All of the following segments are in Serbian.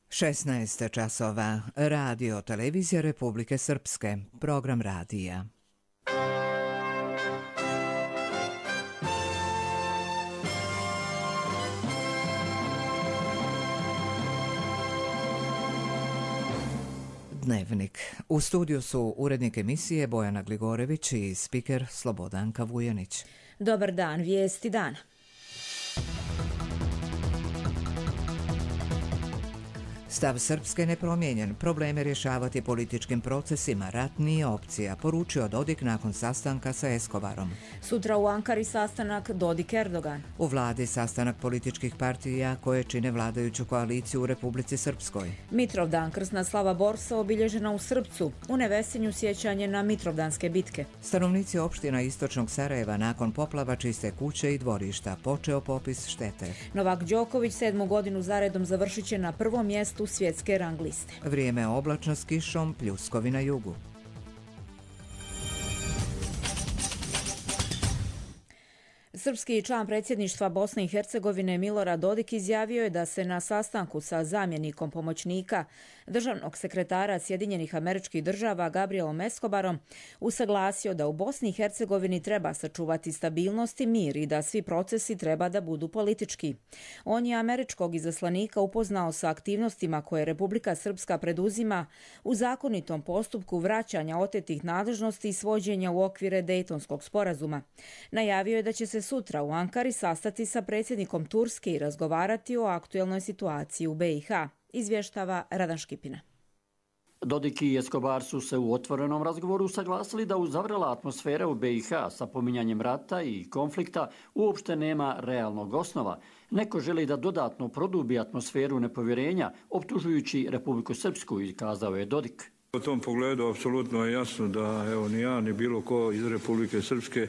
16 časova. Radio Televizija Republike Srpske. Program radija. Dnevnik. U studiju su urednik emisije Bojana Gligorević i spiker Slobodanka Vujanić. Dobar dan, vijesti dana. Stav Srpske nepromijenjen, probleme rješavati političkim procesima, rat nije opcija, poručio Dodik nakon sastanka sa Escobarom. Sutra u Ankari sastanak Dodik-Erdogan. U vladi sastanak političkih partija koje čine vladajuću koaliciju u Republici Srpskoj. Mitrovdan, krsna slava Borsa obilježena u Srpcu, u Nevesinju sjećanje na Mitrovdanske bitke. Stanovnici opština istočnog Sarajeva nakon poplava čiste kuće i dvorišta, počeo popis štete. Novak Đoković 7. godinu zaredom završit će na prvom mjestu svjetske rang liste. Vrijeme oblačno s kišom, pljuskovi na jugu. Srpski član predsjedništva Bosne i Hercegovine Milorad Dodik izjavio je da se na sastanku sa zamjenikom pomoćnika državnog sekretara Sjedinjenih Američkih Država Gabrielom Escobarom usaglasio da u Bosni i Hercegovini treba sačuvati stabilnost i mir i da svi procesi treba da budu politički. On je američkog izaslanika upoznao sa aktivnostima koje Republika Srpska preduzima u zakonitom postupku vraćanja otetih nadležnosti i svođenja u okvire Dejtonskog sporazuma. Najavio je da će se sutra u Ankari sastati sa predsjednikom Turske i razgovarati o aktuelnoj situaciji u BiH, izvještava Radan Škipina. Dodik i Escobar su se u otvorenom razgovoru saglasili da uzavrela atmosfera u BiH sa pominjanjem rata i konflikta uopšte nema realnog osnova. Neko želi da dodatno produbi atmosferu nepovjerenja, optužujući Republiku Srpsku, i kazao je Dodik. U tom pogledu apsolutno je jasno da ni ja ni bilo ko iz Republike Srpske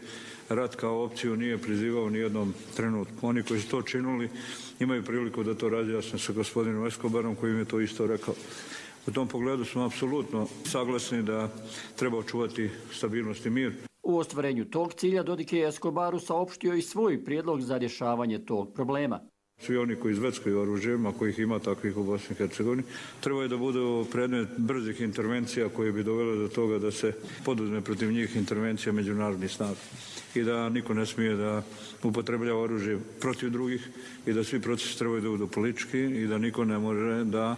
rat kao opciju nije prizivao ni jednom trenutku. Oni koji su to činili imaju priliku da to razjasne sa gospodinom Escobarom koji im je to isto rekao. U tom pogledu smo apsolutno saglasni da treba očuvati stabilnost i mir. U ostvarenju tog cilja Dodik je Escobaru saopštio i svoj prijedlog za rješavanje tog problema. Svi oni koji izveckaju oružjima, kojih ima takvih u Bosni i Hercegovini, trebaju da budu predmet brzih intervencija koje bi dovele do toga da se poduzme protiv njih intervencija međunarodnih snaga i da niko ne smije da upotrebljava oružje protiv drugih i da svi procesi trebaju da budu politički i da niko ne može da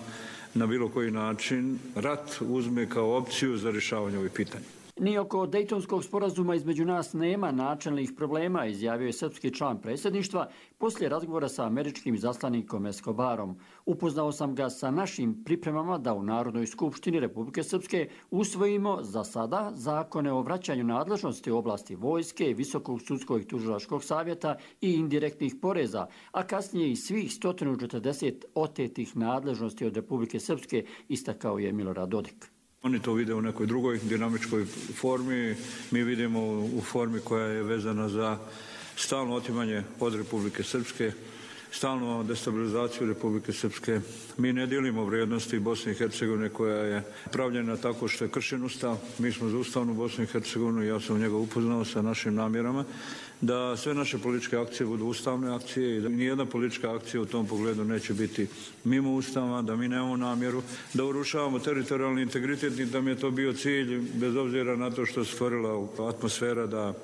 na bilo koji način rat uzme kao opciju za rješavanje ovih pitanja. Ni oko Dejtonskog sporazuma između nas nema načelnih problema, izjavio je srpski član predsjedništva poslije razgovora sa američkim izaslanikom Escobarom. Upoznao sam ga sa našim pripremama da u Narodnoj skupštini Republike Srpske usvojimo za sada zakone o vraćanju nadležnosti u oblasti vojske, Visokog sudskog i tužilačkog savjeta i indirektnih poreza, a kasnije i svih 140 otetih nadležnosti od Republike Srpske, istakao je Milorad Dodik. Oni to vide u nekoj drugoj dinamičkoj formi, mi vidimo u formi koja je vezana za stalno otimanje od Republike Srpske, stalnu destabilizaciju Republike Srpske. Mi ne dijelimo vrijednosti Bosne i Hercegovine koja je pravljena tako što je kršen ustav. Mi smo za ustavnu Bosnu i Hercegovinu, ja sam njega upoznao sa našim namjerama da sve naše političke akcije budu ustavne akcije i da nijedna politička akcija u tom pogledu neće biti mimo ustava, da mi nemamo namjeru da urušavamo teritorijalni integritet i da mi je to bio cilj, bez obzira na to što se stvorila atmosfera da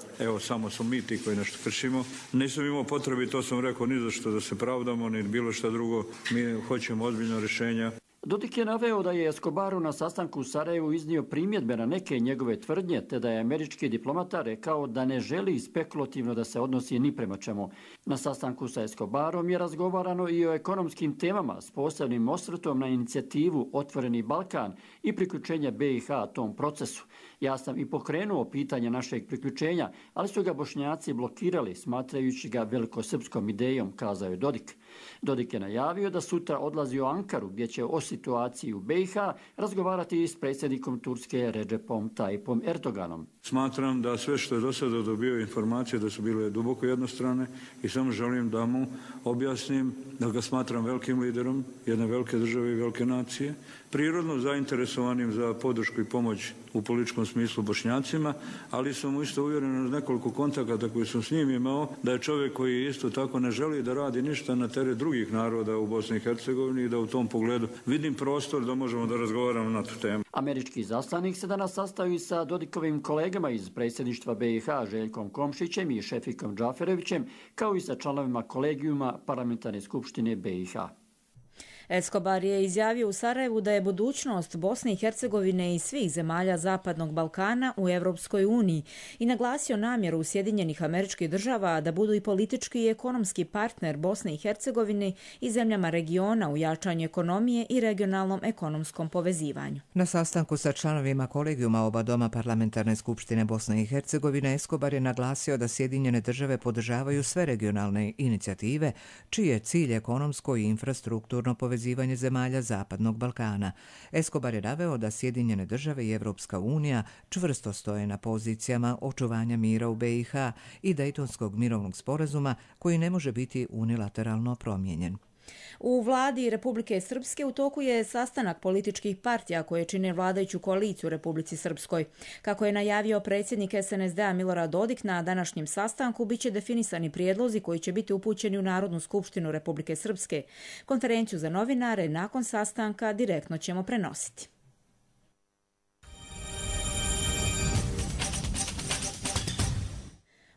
samo su mi ti koji nešto kršimo. Nisam imao potrebi, to sam rekao, ni za što da se pravdamo, ni bilo što drugo. Mi hoćemo ozbiljno rješenja. Dodik je naveo da je Escobaru na sastanku u Sarajevu iznio primjedbe na neke njegove tvrdnje, te da je američki diplomata rekao da ne želi spekulativno da se odnosi ni prema čemu. Na sastanku sa Escobarom je razgovarano i o ekonomskim temama s posebnim osvrtom na inicijativu Otvoreni Balkan i priključenje BiH tom procesu. Ja sam i pokrenuo pitanje našeg priključenja, ali su ga Bošnjaci blokirali, smatrajući ga velikosrpskom idejom, kazao je Dodik. Dodik je najavio da sutra odlazi u Ankaru, gdje će o situaciji u BiH razgovarati s predsjednikom Turske Recepom Tayyipom Erdoganom. Smatram da sve što je do sada dobio informacije da su bile duboko jednostrane i samo želim da mu objasnim da ga smatram velikim liderom jedne velike države i velike nacije, prirodno zainteresovanim za podršku i pomoć u političkom smislu Bošnjacima, ali sam isto uvjeren uz nekoliko kontakata koji sam s njim imao da je čovjek koji isto tako ne želi da radi ništa na teritoriju namere drugih naroda u Bosni i Hercegovini i da u tom pogledu vidim prostor da možemo da razgovaramo na tu temu. Američki izaslanik se danas sastao i sa Dodikovim kolegama iz predsjedništva BiH Željkom Komšićem i Šefikom Džaferevićem, kao i sa članovima kolegijuma Parlamentarne skupštine BiH. Escobar je izjavio u Sarajevu da je budućnost Bosne i Hercegovine i svih zemalja Zapadnog Balkana u Europskoj uniji i naglasio namjeru Sjedinjenih Američkih Država da budu i politički i ekonomski partner Bosne i Hercegovine i zemljama regiona u jačanju ekonomije i regionalnom ekonomskom povezivanju. Na sastanku sa članovima kolegijuma oba doma Parlamentarne skupštine Bosne i Hercegovine Escobar je naglasio da Sjedinjene Države podržavaju sve regionalne inicijative čiji je cilj ekonomsko i infrastrukturno povezivanje zemalja Zapadnog Balkana. Escobar je naveo da Sjedinjene Države i Evropska unija čvrsto stoje na pozicijama očuvanja mira u BiH i Dejtonskog mirovnog sporazuma koji ne može biti unilateralno promijenjen. U vladi Republike Srpske u toku je sastanak političkih partija koje čine vladajuću koaliciju u Republici Srpskoj. Kako je najavio predsjednik SNSD-a Milorad Dodik, na današnjem sastanku biće definisani prijedlozi koji će biti upućeni u Narodnu skupštinu Republike Srpske. Konferenciju za novinare nakon sastanka direktno ćemo prenositi.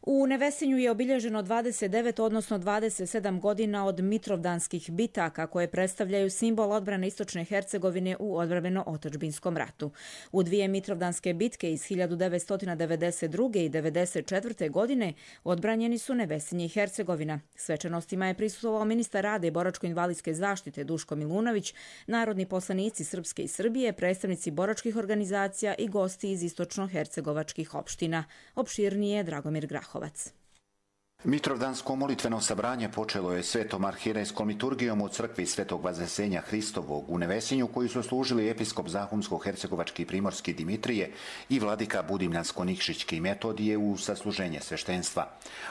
U Nevesinju je obilježeno 29, odnosno 27 godina od Mitrovdanskih bitaka koje predstavljaju simbol odbrane Istočne Hercegovine u odbrambeno-otadžbinskom ratu. U dvije Mitrovdanske bitke iz 1992. i 1994. godine odbranjeni su Nevesinje i Hercegovina. Svečanostima je prisustvovao ministar rada i boračko-invalidske zaštite Duško Milunović, narodni poslanici Srpske i Srbije, predstavnici boračkih organizacija i gosti iz istočno-hercegovačkih opština. Opširnije Dragomir Grahovac. Mitrovdansko molitveno sabranje počelo je svetom arhirejskom liturgijom u crkvi Svetog Vaznesenja Hristovog u Nevesinju, koji su služili episkop Zahumsko-hercegovački Primorski Dimitrije i vladika Budimljansko-Nikšićki Metodije u sasluženje sveštenstva.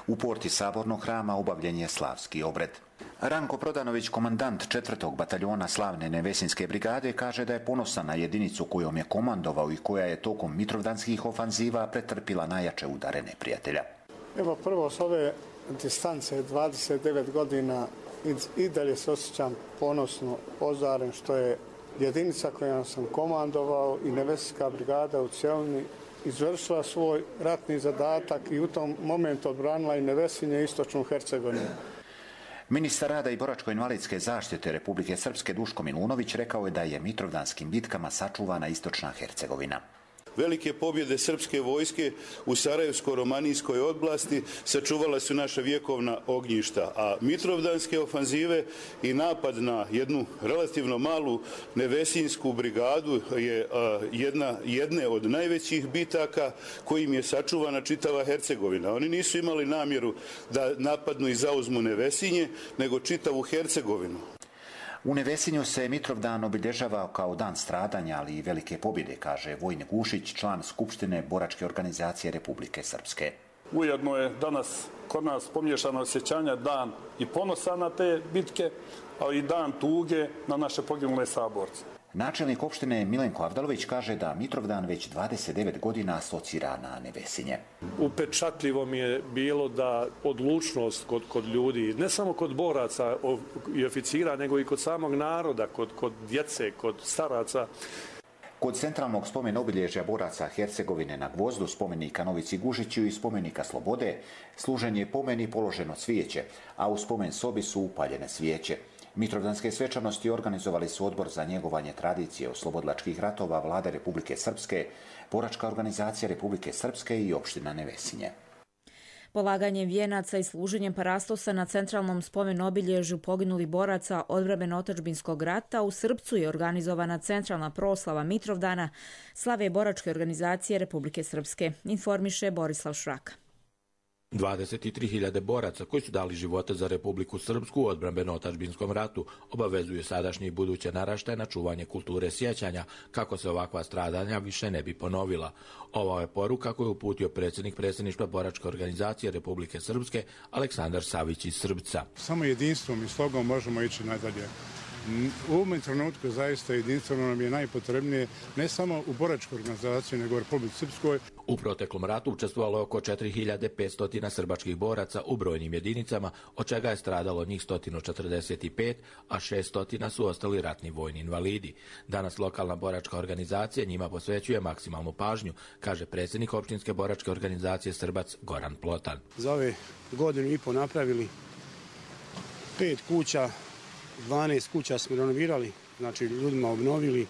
U porti sabornog hrama obavljen je slavski obred. Ranko Prodanović, komandant 4. bataljona slavne Nevesinske brigade, kaže da je ponosan na jedinicu kojom je komandovao i koja je tokom mitrovdanskih ofanziva pretrpila najjače udare neprijatelja. Evo, prvo s ove distance 29 godina i dalje se osjećam ponosno ozaren što je jedinica kojom sam komandovao i Nevesinska brigada u cjelini izvršila svoj ratni zadatak i u tom momentu odbranila i Nevesinje i Istočnu Hercegovinu. Ministar rada i boračko-invalidske zaštite Republike Srpske Duško Milunović rekao je da je mitrovdanskim bitkama sačuvana Istočna Hercegovina. Velike pobjede srpske vojske u Sarajevsko-Romanijskoj oblasti sačuvala su naša vjekovna ognjišta, a mitrovdanske ofanzive i napad na jednu relativno malu Nevesinsku brigadu je jedne od najvećih bitaka kojim je sačuvana čitava Hercegovina. Oni nisu imali namjeru da napadnu i zauzmu Nevesinje, nego čitavu Hercegovinu. U Nevesinju se Mitrovdan obilježavao kao dan stradanja, ali i velike pobjede, kaže Vojin Gušić, član Skupštine boračke organizacije Republike Srpske. Ujedno je danas kod nas pomiješano osjećanja dan i ponosa na te bitke, ali i dan tuge na naše poginule saborce. Načelnik opštine Milenko Avdalović kaže da Mitrovdan već 29 godina asocira na Nevesinje. Upečatljivo mi je bilo da odlučnost kod ljudi, ne samo kod boraca i oficira, nego i kod samog naroda, kod djece, kod staraca. Kod centralnog spomen obilježja boraca Hercegovine na Gvozdu, spomenika Novici Gužiću i spomenika Slobode, služen je pomen i položeno cvijeće, a u spomen sobi su upaljene svijeće. Mitrovdanske svečanosti organizovali su Odbor za njegovanje tradicije oslobodilačkih ratova Vlade Republike Srpske, boračka organizacija Republike Srpske i opština Nevesinje. Polaganjem vijenaca i služenjem parastosa na centralnom spomen obilježju poginulih boraca odbrambeno-otadžbinskog rata u Srpcu je organizovana centralna proslava Mitrovdana slave boračke organizacije Republike Srpske, informiše Borislav Šraka. 23.000 boraca koji su dali živote za Republiku Srpsku u odbrambeno-otadžbinskom ratu obavezuju sadašnje i buduće naraštaje na čuvanje kulture sjećanja kako se ovakva stradanja više ne bi ponovila. Ovo je poruka koju je uputio predsjednik predsjedništva boračke organizacije Republike Srpske Aleksandar Savić iz Srbca. Samo jedinstvom i slogom možemo ići nadalje. U ovom trenutku zaista jedinstveno nam je najpotrebnije ne samo u boračkoj organizaciji nego u Republici Srpskoj. U proteklom ratu učestvovalo je oko 4500 srbačkih boraca u brojnim jedinicama, od čega je stradalo njih 145, a 600 su ostali ratni vojni invalidi. Danas lokalna boračka organizacija njima posvećuje maksimalnu pažnju, kaže predsjednik opštinske boračke organizacije Srbac Goran Plotan. Za ove godinu i po napravili 5 kuća, 12 kuća smo renovirali, znači ljudima obnovili,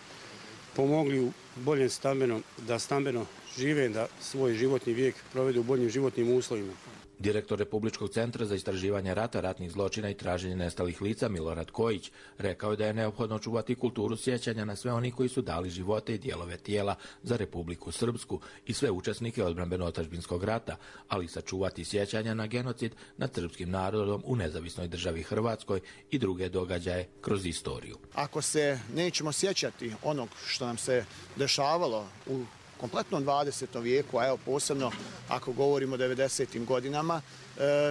pomogli u boljem da stambeno žive, da svoj životni vijek provedu u boljim životnim uslovima. Direktor Republičkog centra za istraživanje rata, ratnih zločina i traženje nestalih lica Milorad Kojić rekao je da je neophodno čuvati kulturu sjećanja na sve oni koji su dali živote i dijelove tijela za Republiku Srpsku i sve učesnike odbrambeno-otadžbinskog rata, ali sačuvati sjećanja na genocid nad srpskim narodom u nezavisnoj državi Hrvatskoj i druge događaje kroz istoriju. Ako se nećemo sjećati onog što nam se dešavalo u kompletnom 20. vijeku, a evo posebno ako govorimo o 90. godinama,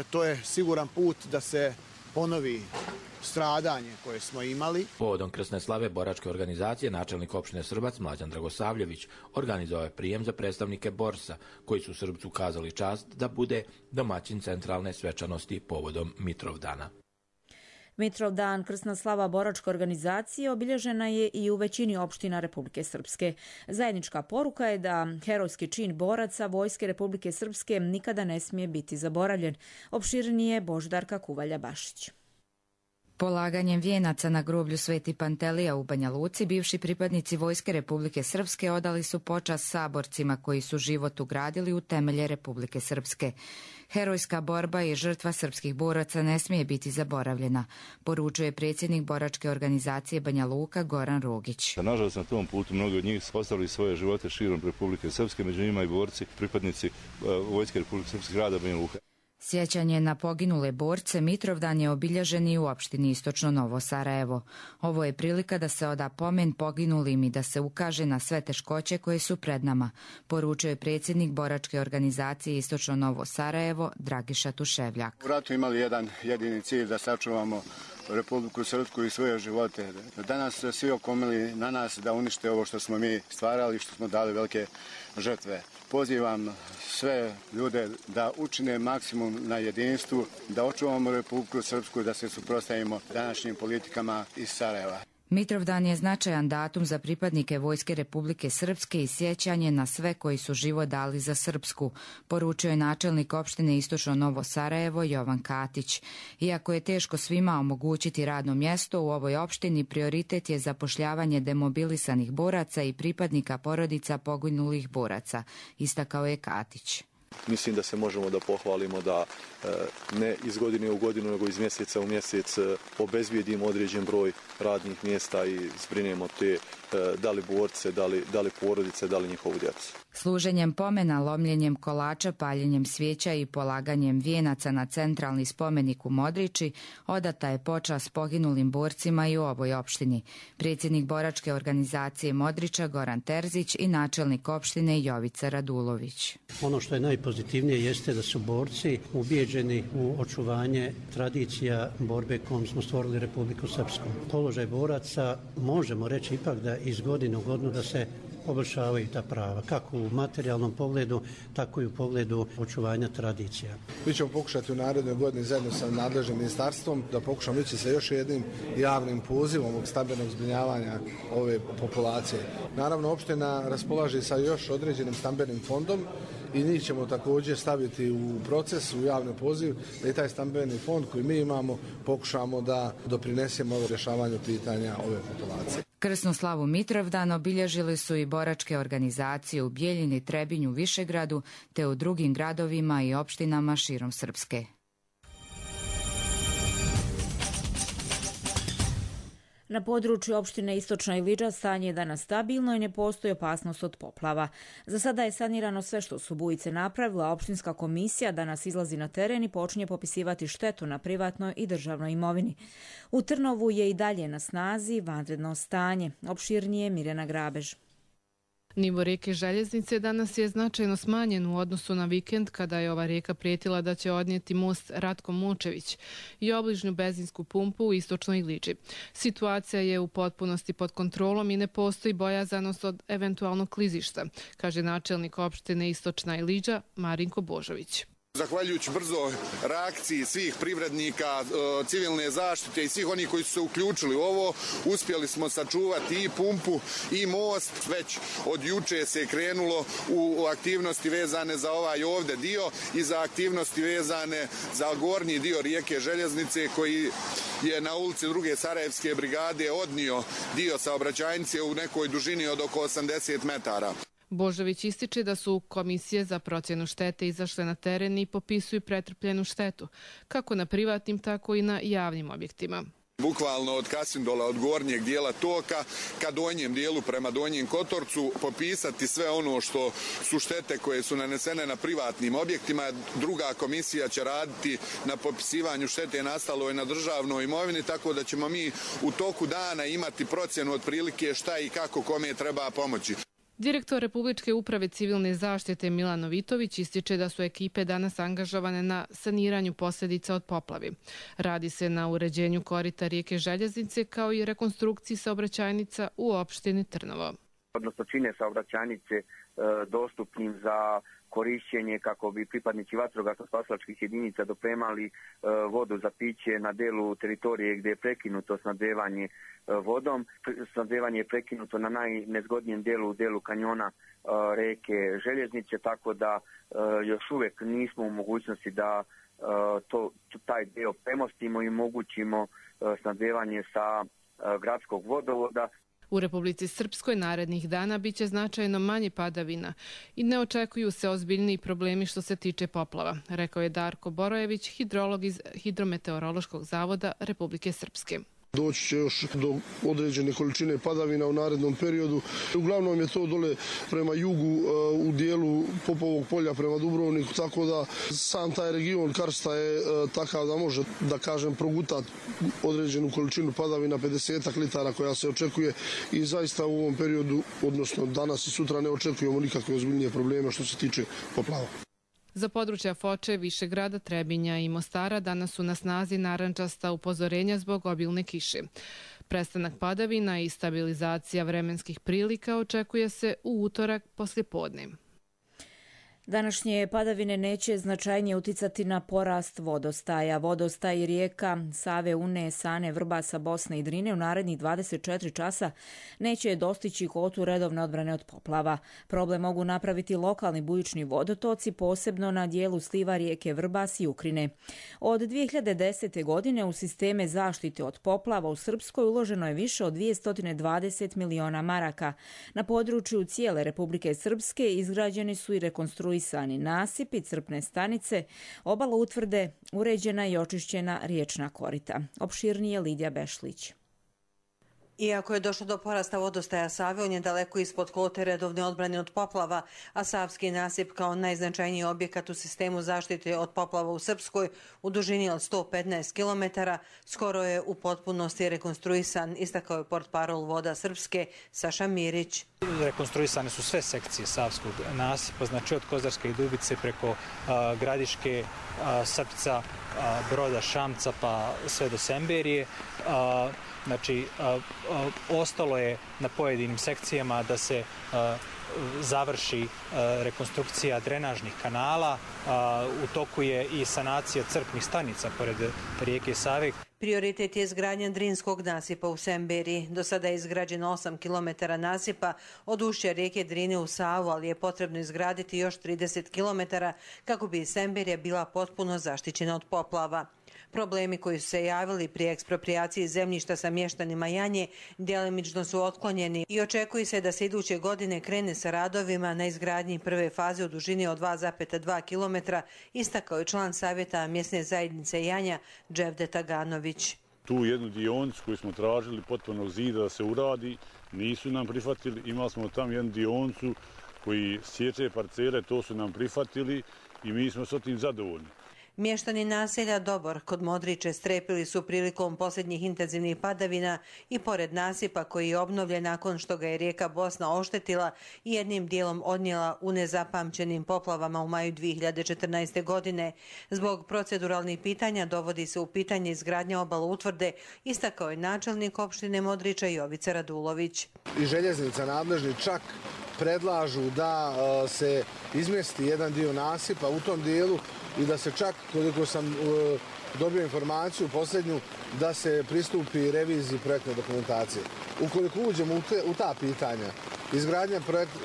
to je siguran put da se ponovi stradanje koje smo imali. Povodom krsne slave boračke organizacije, načelnik opštine Srbac Mlađan Dragosavljević organizovao je prijem za predstavnike Borsa, koji su Srbcu ukazali čast da bude domaćin centralne svečanosti povodom Mitrovdana. Mitrovdan, krsna slava boračke organizacije, obilježena je i u većini opština Republike Srpske. Zajednička poruka je da herojski čin boraca Vojske Republike Srpske nikada ne smije biti zaboravljen. Opširnije Boždarka Kuvalja-Bašić. Polaganjem vijenaca na groblju Sveti Pantelija u Banja Luci, bivši pripadnici Vojske Republike Srpske odali su počast saborcima koji su život ugradili u temelje Republike Srpske. Herojska borba i žrtva srpskih boraca ne smije biti zaboravljena, poručuje predsjednik boračke organizacije Banja Luka Goran Rogić. Nažalost, na tom putu mnogi od njih ostavili svoje živote širom Republike Srpske, među njima i borci, pripadnici Vojske Republike Srpske grada Banja Luka. Sjećanje na poginule borce Mitrovdan je obilježen i u opštini Istočno Novo Sarajevo. Ovo je prilika da se oda pomen poginulim i da se ukaže na sve teškoće koje su pred nama, poručuje predsjednik boračke organizacije Istočno Novo Sarajevo Dragiša Tuševljak. U ratu imali jedan jedini cilj da sačuvamo Republiku Srpsku i svoje živote. Danas svi okomili na nas da unište ovo što smo mi stvarali, što smo dali velike žrtve. Pozivam sve ljude da učine maksimum na jedinstvu, da očuvamo Republiku Srpsku, da se suprotstavimo današnjim politikama iz Sarajeva. Mitrovdan je značajan datum za pripadnike Vojske Republike Srpske i sjećanje na sve koji su život dali za Srpsku, poručio je načelnik opštine Istočno Novo Sarajevo Jovan Katić. Iako je teško svima omogućiti radno mjesto, u ovoj opštini prioritet je zapošljavanje demobilisanih boraca i pripadnika porodica poginulih boraca, istakao je Katić. Mislim da se možemo da pohvalimo da ne iz godine u godinu, nego iz mjeseca u mjesec obezbijedimo određen broj radnih mjesta i zbrinemo te da li borce, da li porodice, da li njihovu djecu. Služenjem pomena, lomljenjem kolača, paljenjem svijeća i polaganjem vijenaca na centralni spomenik u Modriči odata je počast poginulim borcima i u ovoj opštini. Predsjednik boračke organizacije Modriča Goran Terzić i načelnik opštine Jovica Radulović. Ono što je najpozitivnije jeste da su borci ubijeđeni u očuvanje tradicija borbe kojom smo stvorili Republiku Srpsku. Položaj boraca možemo reći ipak da iz godine u godinu da se poboljšavaju ta prava, kako u materijalnom pogledu, tako i u pogledu očuvanja tradicija. Mi ćemo pokušati u narednoj godini zajedno sa nadležnim ministarstvom da pokušamo ići sa još jednim javnim pozivom ovog stambenog zbrinjavanja ove populacije. Naravno, opština raspolaže sa još određenim stambenim fondom i njih ćemo također staviti u proces, u javni poziv, da i taj stambeni fond koji mi imamo pokušamo da doprinesemo rješavanju pitanja ove populacije. Krsnu slavu Mitrovdan obilježili su i boračke organizacije u Bijeljini, Trebinju, Višegradu te u drugim gradovima i opštinama širom Srpske. Na području opštine Istočna Iliđa stanje je danas stabilno i ne postoji opasnost od poplava. Za sada je sanirano sve što su bujice napravila, a opštinska komisija danas izlazi na teren i počinje popisivati štetu na privatnoj i državnoj imovini. U Trnovu je i dalje na snazi vanredno stanje. Opširnije Mirjana Grabež. Nivo rijeke Željeznice danas je značajno smanjen u odnosu na vikend kada je ova rijeka prijetila da će odnijeti most Ratko Mučević i obližnju benzinsku pumpu u istočnoj Iliđi. Situacija je u potpunosti pod kontrolom i ne postoji bojazanost od eventualnog klizišta, kaže načelnik opštine Istočna Iliđa Marinko Božović. Zahvaljujući brzoj reakciji svih privrednika, civilne zaštite i svih onih koji su se uključili u ovo, uspjeli smo sačuvati i pumpu i most. Već od juče se krenulo u aktivnosti vezane za ovaj ovdje dio i za aktivnosti vezane za gornji dio rijeke Željeznice koji je na ulici 2. Sarajevske brigade odnio dio saobraćajnice u nekoj dužini od oko 80 metara. Božović ističe da su komisije za procjenu štete izašle na teren i popisuju pretrpljenu štetu, kako na privatnim, tako i na javnim objektima. Bukvalno od Kasindola, od gornjeg dijela toka ka donjem dijelu prema Donjem Kotorcu, popisati sve ono što su štete koje su nanesene na privatnim objektima. Druga komisija će raditi na popisivanju štete nastaloj na državnoj imovini, tako da ćemo mi u toku dana imati procjenu otprilike šta i kako kome treba pomoći. Direktor Republičke uprave civilne zaštite Milan Novitović ističe da su ekipe danas angažovane na saniranju posljedica od poplavi. Radi se na uređenju korita rijeke Željeznice kao i rekonstrukciji saobraćajnica u opštini Trnovo. Odnosno čine saobraćajnice dostupnim za korišćenje kako bi pripadnici vatrogasno-spasilačkih jedinica dopremali vodu za piće na delu teritorije gdje je prekinuto snabdevanje vodom. Snabdevanje je prekinuto na najnezgodnijem delu kanjona reke Željeznice, tako da još uvijek nismo u mogućnosti da taj dio premostimo i omogućimo snabdevanje sa gradskog vodovoda. U Republici Srpskoj narednih dana biće značajno manje padavina i ne očekuju se ozbiljniji problemi što se tiče poplava, rekao je Darko Borojević, hidrolog iz Hidrometeorološkog zavoda Republike Srpske. Doći će još do određene količine padavina u narednom periodu. Uglavnom je to dole prema jugu u dijelu Popovog polja prema Dubrovniku, tako da sam taj region karsta je takav da može, da kažem, progutati određenu količinu padavina, 50 litara koja se očekuje i zaista u ovom periodu, odnosno danas i sutra, ne očekujemo nikakve ozbiljnije probleme što se tiče poplava. Za područja Foče, Višegrada, Trebinja i Mostara danas su na snazi narandžasta upozorenja zbog obilne kiše. Prestanak padavina i stabilizacija vremenskih prilika očekuje se u utorak poslijepodne. Današnje padavine neće značajnije uticati na porast vodostaja. Vodostaj rijeka Save, Une, Sane, Vrbasa, Bosne i Drine u narednih 24 časa neće dostići kotu redovne odbrane od poplava. Problem mogu napraviti lokalni bujični vodotoci, posebno na dijelu sliva rijeke Vrbas i Ukrine. Od 2010. godine u sisteme zaštite od poplava u Srpskoj uloženo je više od 220 miliona maraka. Na području cijele Republike Srpske izgrađeni su i rekonstruisani nasipi, crpne stanice, obala utvrde, uređena i očišćena riječna korita. Opširnije Lidija Bešlić. Iako je došlo do porasta vodostaja Save, on je daleko ispod kvote redovne odbrane od poplava, a Savski nasip kao najznačajniji objekat u sistemu zaštite od poplava u Srpskoj u dužini od 115 km skoro je u potpunosti rekonstruisan, istakao je portparol Voda Srpske Saša Mirić. Rekonstruisane su sve sekcije Savskog nasipa, znači od Kozarske i Dubice preko Gradiške, Srpca, Broda, Šamca pa sve do Semberije. Znači, ostalo je na pojedinim sekcijama da se završi rekonstrukcija drenažnih kanala. U toku je i sanacija crpnih stanica pored rijeke Save. Prioritet je izgradnja Drinskog nasipa u Semberiji. Do sada je izgrađeno 8 km nasipa od ušća rijeke Drine u Savu, ali je potrebno izgraditi još 30 km kako bi Semberija bila potpuno zaštićena od poplava. Problemi koji su se javili pri ekspropriaciji zemljišta sa mještanima Janje djelimično su otklonjeni i očekuje se da se iduće godine krene sa radovima na izgradnji prve faze u dužini od 2,2 km, istakao je član savjeta mjesne zajednice Janja Dževdet Taganović. Tu jednu dionicu koju smo tražili potpunog zida da se uradi, nisu nam prihvatili. Imali smo tam jednu dionicu koji sječe parcele, to su nam prihvatili i mi smo s tim zadovoljni. Mještani naselja Dobor kod Modriče strepili su prilikom posljednjih intenzivnih padavina i pored nasipa koji je obnovljen nakon što ga je rijeka Bosna oštetila i jednim dijelom odnijela u nezapamćenim poplavama u maju 2014. godine. Zbog proceduralnih pitanja dovodi se u pitanje izgradnja obala utvrde, istakao je načelnik opštine Modriča Jovica Radulović. I željeznica nadležni čak predlažu da se izmjesti jedan dio nasipa u tom dijelu i da se čak, koliko sam dobio informaciju posljednju, da se pristupi reviziji projektne dokumentacije. Ukoliko uđemo u ta pitanja,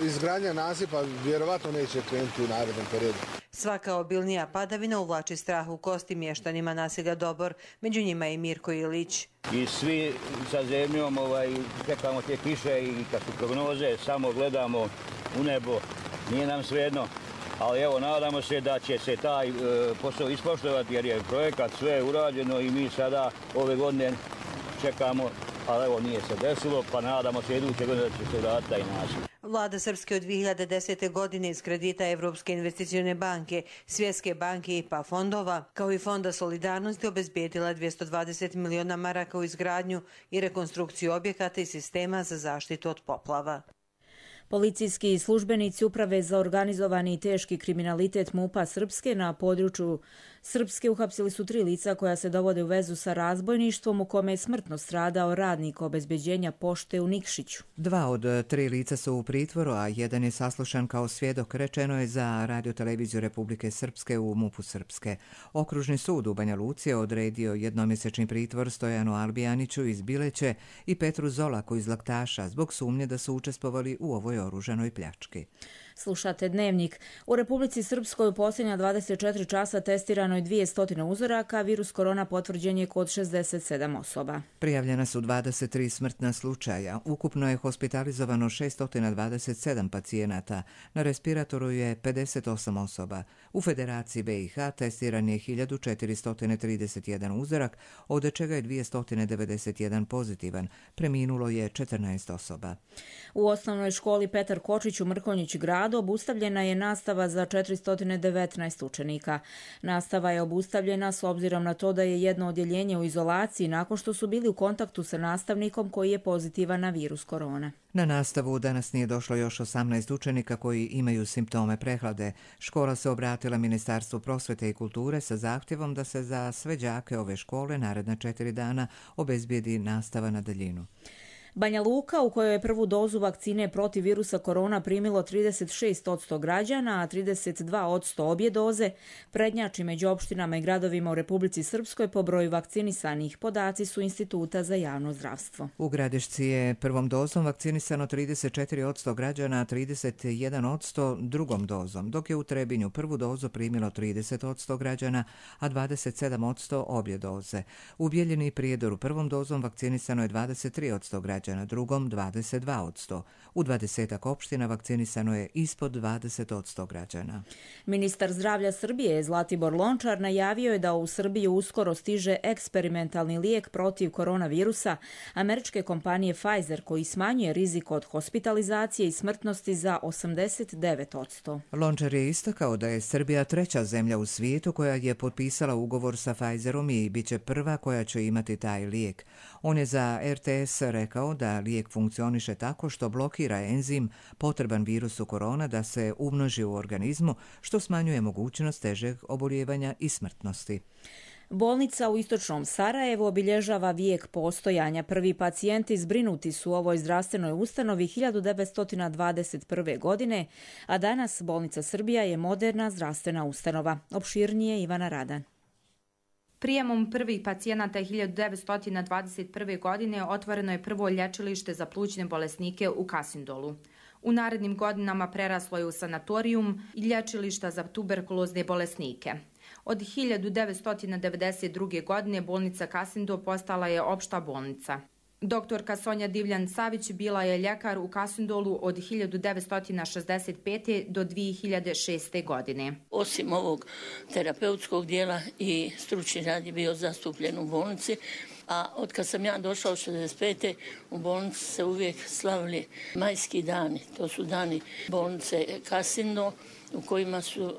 izgradnja nasipa vjerovatno neće krenuti u narednom periodu. Svaka obilnija padavina uvlači strah u kosti mještanima naselja Dobor, među njima i Mirko Ilić. I svi sa zemljom čekamo te kiše i kad su prognoze, samo gledamo u nebo, nije nam svejedno. Ali evo, nadamo se da će se taj posao ispoštovati jer je projekat sve urađeno i mi sada ove godine čekamo, ali evo nije se desilo, pa nadamo se iduće godine da će se vratiti taj nasip. Vlada Srpske od 2010. godine iz kredita Evropske investicione banke, Svjetske banke i IPA fondova, kao i Fonda solidarnosti, obezbijedila 220 miliona maraka u izgradnju i rekonstrukciju objekata i sistema za zaštitu od poplava. Policijski službenici Uprave za organizovani i teški kriminalitet MUP-a Srpske na području Srpske uhapsili su 3 lica koja se dovode u vezu sa razbojništvom u kome je smrtno stradao radnik obezbeđenja pošte u Nikšiću. 2 od 3 lica su u pritvoru, a jedan je saslušan kao svjedok, rečeno je za Radio-televiziju Republike Srpske u MUP-u Srpske. Okružni sud u Banja Luci je odredio jednomjesečni pritvor Stojanu Albijaniću iz Bileće i Petru Zolaku iz Laktaša zbog sumnje da su učestvovali u ovoj oružanoj pljački. Slušate Dnevnik. U Republici Srpskoj u posljednja 24 časa testirano je 200 uzoraka, virus korona potvrđen je kod 67 osoba. Prijavljena su 23 smrtna slučaja. Ukupno je hospitalizovano 627 pacijenata. Na respiratoru je 58 osoba. U Federaciji BiH testiran je 1431 uzorak, od čega je 291 pozitivan. Preminulo je 14 osoba. U osnovnoj školi Petar Kočić u Mrkonjić gradu obustavljena je nastava za 419 učenika. Nastava je obustavljena s obzirom na to da je jedno odjeljenje u izolaciji nakon što su bili u kontaktu sa nastavnikom koji je pozitivan na virus korona. Na nastavu danas nije došlo još 18 učenika koji imaju simptome prehlade. Škola se obratila Ministarstvu prosvete i kulture sa zahtjevom da se za sve đake ove škole naredna 4 dana obezbijedi nastava na daljinu. Banja Luka, u kojoj je prvu dozu vakcine protiv virusa korona primilo 36% građana, a 32% obje doze, prednjači među opštinama i gradovima u Republici Srpskoj po broju vakcinisanih. Podaci su Instituta za javno zdravstvo. U Gradišci je prvom dozom vakcinisano 34% građana, a 31% drugom dozom, dok je u Trebinju prvu dozu primilo 30% građana, a 27% obje doze. U Bijeljini i Prijedoru prvom dozom vakcinisano je 23% građana, na drugom 22%. U 20 opština vakcinisano je ispod 20% građana. Ministar zdravlja Srbije Zlatibor Lončar najavio je da u Srbiju uskoro stiže eksperimentalni lijek protiv koronavirusa američke kompanije Pfizer koji smanjuje rizik od hospitalizacije i smrtnosti za 89%. Lončar je istakao da je Srbija 3. zemlja u svijetu koja je potpisala ugovor sa Pfizerom i bit će prva koja će imati taj lijek. On je za RTS rekao da lijek funkcioniše tako što blokira enzim potreban virusu korona da se umnoži u organizmu, što smanjuje mogućnost težeg oboljevanja i smrtnosti. Bolnica u istočnom Sarajevu obilježava vijek postojanja. Prvi pacijenti zbrinuti su u ovoj zdravstvenoj ustanovi 1921. godine, a danas Bolnica Srbija je moderna zdravstvena ustanova. Opširnije Ivana Radan. Prijemom prvih pacijenata 1921. godine otvoreno je prvo lječilište za plućne bolesnike u Kasindolu. U narednim godinama preraslo je u sanatorijum i lječilišta za tuberkulozne bolesnike. Od 1992. godine bolnica Kasindo postala je opšta bolnica. Doktorka Sonja Divljan-Savić bila je ljekar u Kasindolu od 1965. do 2006. godine. Osim ovog terapeutskog dijela i stručni rad je bio zastupljen u bolnici A od kad sam ja došla u 65. u bolnici se uvijek slavili majski dani. To su dani bolnice Kasindo u kojima su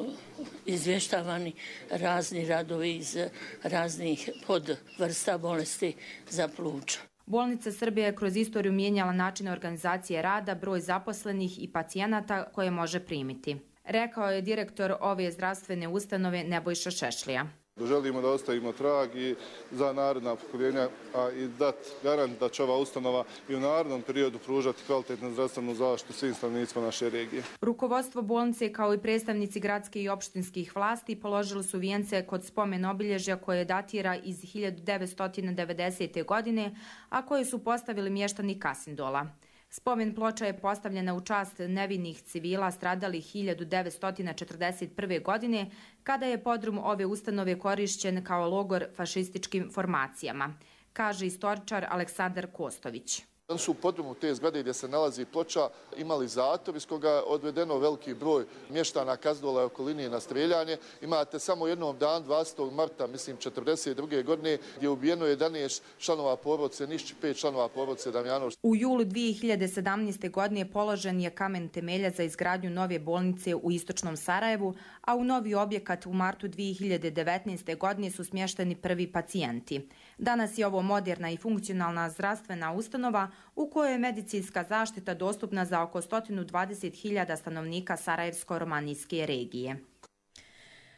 izvještavani razni radovi iz raznih podvrsta bolesti za pluća. Bolnica Srbije je kroz istoriju mijenjala načine organizacije rada, broj zaposlenih i pacijenata koje može primiti. Rekao je direktor ove zdravstvene ustanove Nebojša Šešlija. Želimo da ostavimo trag i za naredna pokoljenja, a i dati garant da će ova ustanova i u narednom periodu pružati kvalitetnu zdravstvenu zaštitu svim stanovnicima naše regije. Rukovodstvo bolnice kao i predstavnici gradskih i opštinskih vlasti položili su vijence kod spomen obilježja koje datira iz 1990. godine, a koje su postavili mještani Kasindola. Spomen ploča je postavljena u čast nevinih civila stradalih 1941. godine, kada je podrum ove ustanove korišćen kao logor fašističkim formacijama, kaže istoričar Aleksandar Kostović. Oni su u podrumu te zgrade gdje se nalazi ploča imali zator iz koga je odvedeno veliki broj mještana Kasindola i okoline na streljanje. Imate samo jednom dan, 20. marta, mislim 1942. godine, gdje je ubijeno 11 članova porodice Nišć, 5 članova porodice Damjanović. U julu 2017. godine položen je kamen temelja za izgradnju nove bolnice u istočnom Sarajevu, a u novi objekat u martu 2019. godine su smješteni prvi pacijenti. Danas je ovo moderna i funkcionalna zdravstvena ustanova u kojoj je medicinska zaštita dostupna za oko 120.000 stanovnika Sarajevsko-romanijske regije.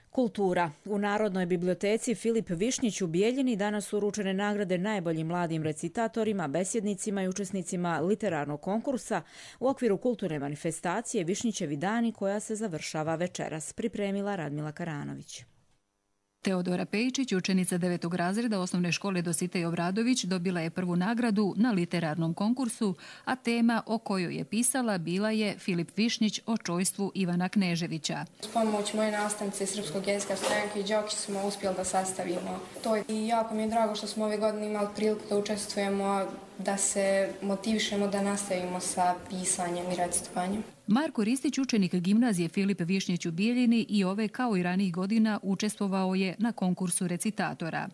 Kultura. U Narodnoj biblioteci Filip Višnjić u Bijeljini danas su uručene nagrade najboljim mladim recitatorima, besjednicima i učesnicima literarnog konkursa u okviru kulturne manifestacije Višnjićevi dani koja se završava večeras, pripremila Radmila Karanović. Teodora Pejičić, učenica 9. razreda osnovne škole Dositej Obradović, dobila je prvu nagradu na literarnom konkursu, a tema o kojoj je pisala bila je Filip Višnjić o čojstvu Ivana Kneževića. S pomoć moje nastavnice Srpskog jezika Stojanke Đokić smo uspjeli da sastavimo to. I jako mi je drago što smo ove godine imali priliku da učestvujemo, da se motivišemo da nastavimo sa pisanjem i recitovanjem. Marko Ristić, učenik gimnazije Filip Višnjić u Bijeljini, i ove kao i ranijih godina učestvovao je na konkursu recitatora.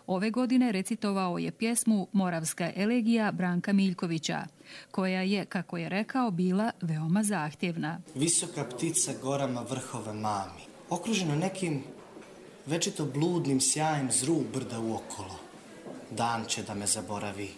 Ove godine recitovao je pjesmu Moravska elegija Branka Miljkovića, koja je, kako je rekao, bila veoma zahtjevna. Visoka ptica gorama vrhove mami, okruženo nekim večito bludnim sjajem zrug brda uokolo. Dan će da me zaboravi.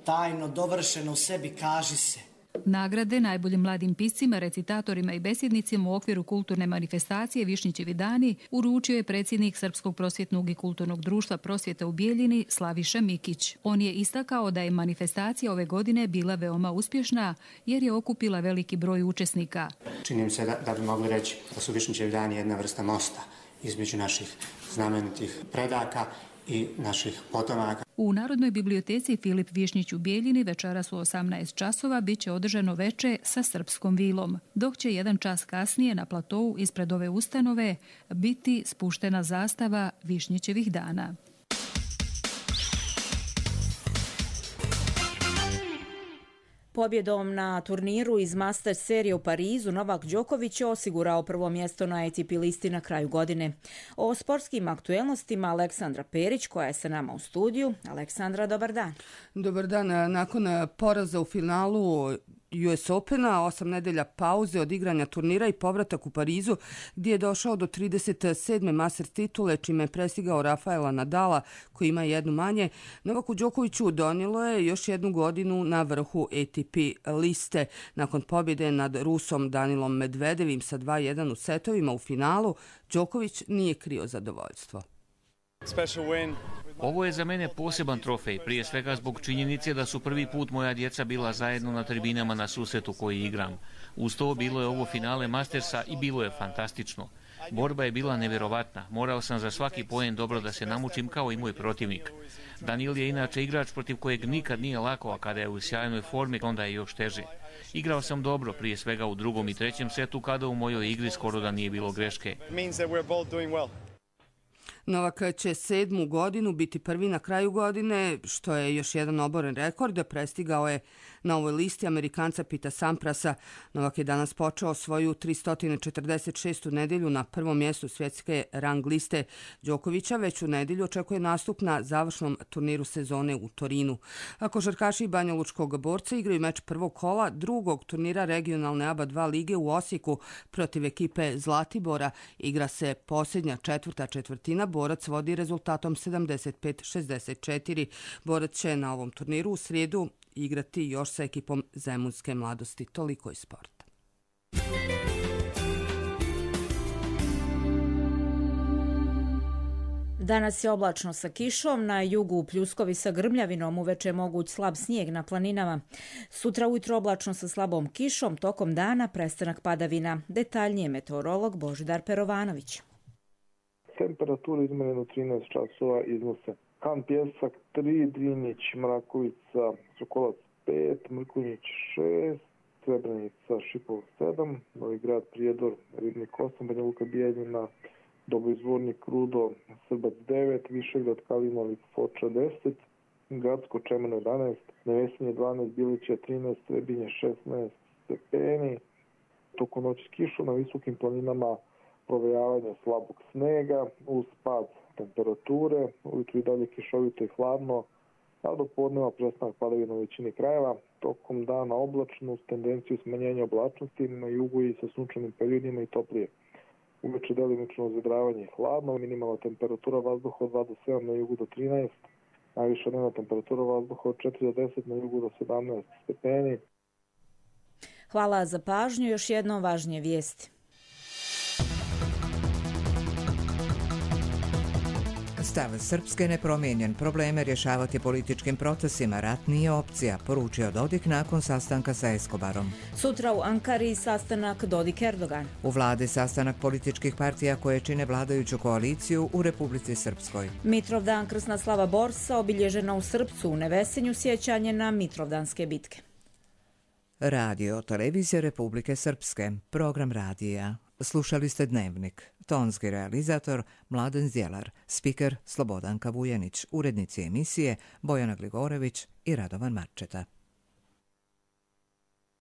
Tajno dovršeno u sebi kaži se. Nagrade najboljim mladim piscima, recitatorima i besjednicima u okviru kulturne manifestacije Višnjićevi dani uručio je predsjednik Srpskog prosvjetnog i kulturnog društva Prosvjeta u Bijeljini Slaviša Mikić. On je istakao da je manifestacija ove godine bila veoma uspješna jer je okupila veliki broj učesnika. Čini mi se da bi mogli reći da su Višnjićevi dani jedna vrsta mosta između naših znamenitih predaka i naših potomaka. U Narodnoj biblioteci Filip Višnjić u Bijeljini večeras u 18 časova bit će održano veče sa srpskom vilom, dok će 1 čas kasnije na platovu ispred ove ustanove biti spuštena zastava Višnjićevih dana. Pobjedom na turniru iz Masters serije u Parizu Novak Đoković je osigurao prvo mjesto na ATP listi na kraju godine. O sportskim aktuelnostima Aleksandra Perić, koja je sa nama u studiju. Aleksandra, dobar dan. Dobar dan. Nakon poraza u finalu US Opena, 8 nedelja pauze od igranja turnira i povratak u Parizu, gdje je došao do 37. Masters titule, čime je prestigao Rafaela Nadala, koji ima jednu manje, Novaku Đokoviću donijelo je još jednu godinu na vrhu ATP liste. Nakon pobjede nad Rusom Danilom Medvedevim sa 2-1 u setovima u finalu, Đoković nije krio zadovoljstvo. Ovo je za mene poseban trofej, prije svega zbog činjenice da su prvi put moja djeca bila zajedno na tribinama na susretu koji igram. Uz to bilo je ovo finale Mastersa i bilo je fantastično. Borba je bila nevjerovatna, morao sam za svaki poen dobro da se namučim kao i moj protivnik. Danil je inače igrač protiv kojeg nikad nije lako, a kada je u sjajnoj formi onda je još teže. Igrao sam dobro, prije svega u drugom i trećem setu, kada u mojoj igri skoro da nije bilo greške. Novak će 7. godinu biti prvi na kraju godine, što je još jedan oboren rekord. Prestigao je na ovoj listi Amerikanca Pita Samprasa. Novak je danas počeo svoju 346. nedelju na prvom mjestu svjetske rang liste. Đokovića već u nedelju očekuje nastup na završnom turniru sezone u Torinu. Košarkaši Banjalučkog Borca igraju meč prvog kola drugog turnira regionalne ABA 2 lige u Osijeku protiv ekipe Zlatibora. Igra se posljednja četvrtina. Borac vodi rezultatom 75-64. Borac će na ovom turniru u srijedu igrati još sa ekipom Zemunske mladosti. Toliko iz sporta. Danas je oblačno sa kišom, na jugu pljuskovi sa grmljavinom, uveče moguć slab snijeg na planinama. Sutra ujutro oblačno sa slabom kišom, tokom dana prestanak padavina. Detaljnije meteorolog Božidar Perovanović. Temperatura izmerena u 13 časova iznose Han Pjesak 3, Drinić, Mrakovica, Sokolac 5, Mrkonjić 6, Srebrenica, Šipov 7, Novi Grad, Prijedor, Ribnik 8, Banja Luka, Bijeljina, Doboj Zvornik, Rudo, Srbac 9, Višegrad, Kalinović, Foča 10, Gradsko, Čemeno 11, Nevesinje 12, Bilića 13, Srebinje 16 stepeni. Tokom noći s kišom na visokim planinama provejavanje slabog snega uz pad temperature, ujutru i dalje kišovito i hladno, a do podneva prestanak padavina u većini krajeva. Tokom dana oblačno uz tendenciju smanjenja oblačnosti, na jugu i sa sunčanim periodima i toplije. Uveče delimično zadravanje i hladno, minimalna temperatura vazduha od 2 do 7, na jugu do 13, najviša dnevna temperatura vazduha od 4 do 10, na jugu do 17 stepeni. Hvala za pažnju, još jednom važnije vijesti. Stav Srpske nepromijenjen, probleme rješavati političkim procesima, rat nije opcija, poručio Dodik nakon sastanka sa Escobarom. Sutra u Ankari sastanak Dodik-Erdogan. U vladi sastanak političkih partija koje čine vladajuću koaliciju u Republici Srpskoj. Mitrovdan krsna slava Borsa obilježena u Srpcu, u Nevesinju sjećanje na Mitrovdanske bitke. Radio Televizija Republike Srpske, program radija. Slušali ste Dnevnik. Tonski realizator Mladen Zjelar, spiker Slobodanka Vujanić, urednici emisije Bojana Gligorević i Radovan Marčeta.